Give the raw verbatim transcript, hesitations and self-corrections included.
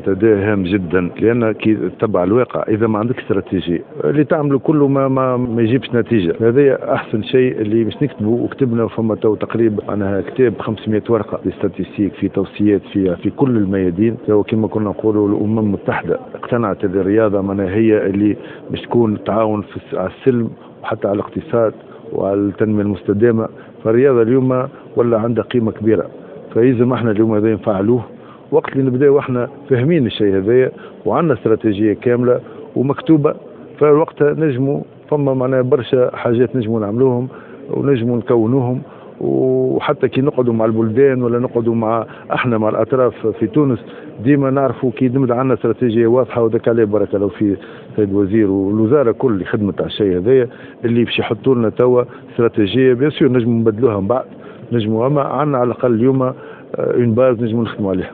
المنتدى هام جدا، لان كي تتبع الواقع، اذا ما عندك استراتيجية اللي تعمله كله ما ما, ما يجيبش نتيجه. هذا احسن شيء اللي باش نكتبوا، وكتبنا، فما تو تقريبا معناها كتاب خمسمية ورقة des statistiques، في توصيات في في كل الميادين. تو كما كنا نقولوا، الامم المتحدة اقتنعت اللي الرياضة معناها هي اللي باش تكون تعاون في على السلم وحتى على الاقتصاد وعلى التنمية المستدامه. فالرياضه اليوم ولا عندها قيمة كبيره، فيلزم احنا اليوم هذا نفعلوه وقت اللي نبداو احنا فاهمين الشيء هذايا وعندنا استراتيجية كاملة ومكتوبه. فوقتها نجموا، فما معناها برشا حاجات نجموا نعملوهم ونجموا نكونوهم. وحتى كي نقعدوا مع البلدان ولا نقعدوا مع احنا مع الاطراف في تونس، ديما نعرفوا كي نبدا عندنا استراتيجية واضحه. وذاك عليه بارك الله في سيد الوزير والوزارة كل اللي خدمت على الشيء هذايا، اللي باش يحطوا لنا توا استراتيجيه. bien sûr نجموا نبدلوها من بعد، نجموا، اما عندنا على الاقل اليوم une base نجموا نخدموا عليها.